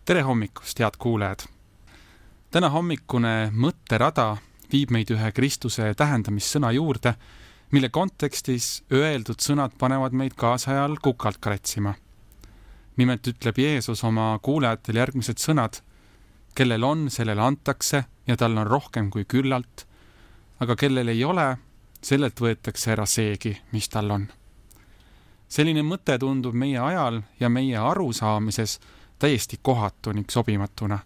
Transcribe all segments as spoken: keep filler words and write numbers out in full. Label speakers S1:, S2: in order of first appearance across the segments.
S1: Tere hommikust, head kuulajad! Täna hommikune mõtterada viib meid ühe Kristuse tähendamissõna juurde, mille kontekstis öeldud sõnad panevad meid kaasajal kukalt karetsima. Nimelt ütleb Jeesus oma kuulajatel järgmised sõnad, kellel on, sellele antakse ja tal on rohkem kui küllalt, aga kellel ei ole, sellelt võetakse ära seegi, mis tal on. Selline mõte tundub meie ajal ja meie arusaamises täiesti kohatu ning sobimatuna.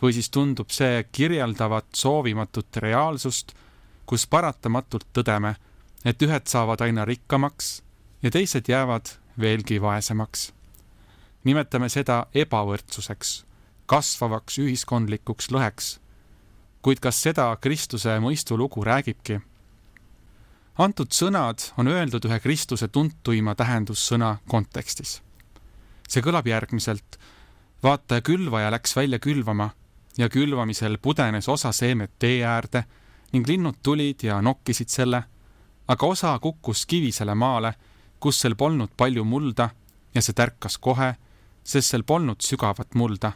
S1: Või siis tundub see kirjeldavat soovimatut reaalsust, kus paratamatult tõdeme, et ühed saavad aina rikkamaks ja teised jäävad veelgi vaesemaks. Nimetame seda ebavõrdsuseks, kasvavaks ühiskondlikuks lõheks. Kuid kas seda Kristuse mõistulugu räägibki? Antud sõnad on öeldud ühe Kristuse tuntuima tähendussõna kontekstis. See kõlab järgmiselt. Vaata, külvaja läks välja külvama ja külvamisel pudenes osa seemet tee äärde ning linnud tulid ja nokkisid selle, aga osa kukkus kivisele maale, kus sel polnud palju mulda ja see tärkas kohe, sest sel polnud sügavat mulda.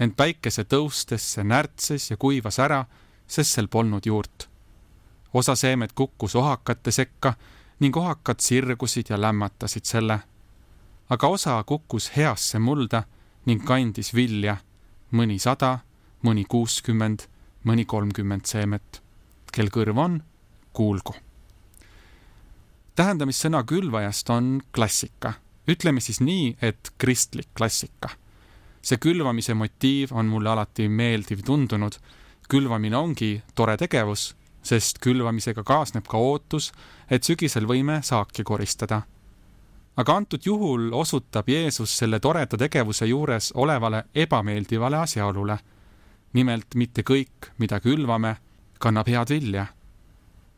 S1: Ent päikese tõustes see närtses ja kuivas ära, sest sel polnud juurt. Osa seemet kukkus ohakate sekka ning ohakad sirgusid ja lämmatasid selle. Aga osa kukkus heasse mulda ning kandis vilja, mõni sada, mõni kuuskümmend, mõni kolmkümmend seemet. Kel kõrv on, kuulgu. Tähendamissõna külvajast on klassika. Ütleme siis nii, et kristlik klassika. See külvamise motiiv on mulle alati meeldiv tundunud. Külvamine ongi tore tegevus, sest külvamisega kaasneb ka ootus, et sügisel võime saaki koristada. Aga antud juhul osutab Jeesus selle toreda tegevuse juures olevale ebameeldivale asjaolule. Nimelt mitte kõik, mida külvame, kannab head vilja.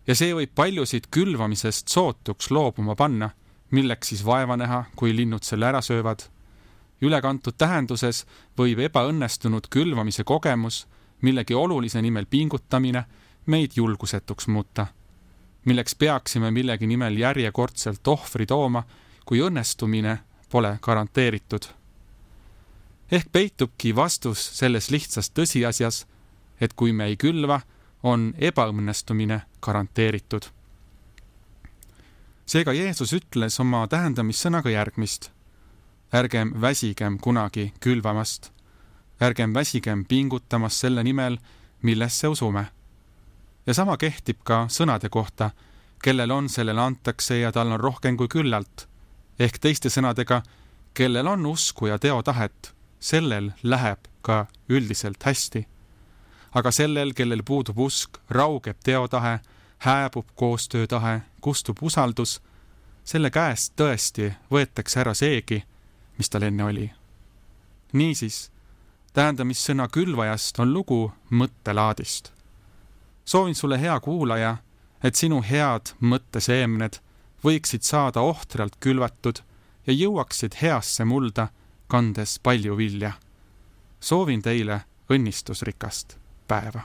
S1: Ja see võib paljusid külvamisest sootuks loobuma panna, milleks siis vaeva näha, kui linnud selle ära söövad. Ülekantud tähenduses võib ebaõnnestunud külvamise kogemus, millegi olulise nimel pingutamine, meid julgusetuks muuta. Milleks peaksime millegi nimel järjekordselt ohvri tooma, kui õnnestumine pole garanteeritud. Ehk peitubki vastus selles lihtsas tõsiasjas, et kui me ei külva, on ebaõnnestumine garanteeritud. Seega Jeesus ütles oma tähendamissõnaga järgmist. Ärgem väsigem kunagi külvamast. Ärgem väsigem pingutamast selle nimel, millesse usume. Ja sama kehtib ka sõnade kohta, kellel on, sellele antakse ja tal on rohkem kui küllalt. Ehk teiste sõnadega, kellel on usku ja teotahet, sellel läheb ka üldiselt hästi. Aga sellel, kellel puudub usk, raugeb teotahe, hääbub koostöötahe, kustub usaldus, selle käest tõesti võetakse ära seegi, mis tal enne oli. Niisiis, tähendamissõna külvajast on lugu mõttelaadist. Soovin sulle, hea kuulaja, et sinu head mõtteseemned võiksid saada ohtralt külvatud ja jõuaksid heasse mulda, kandes palju vilja. Soovin teile õnnistusrikast päeva.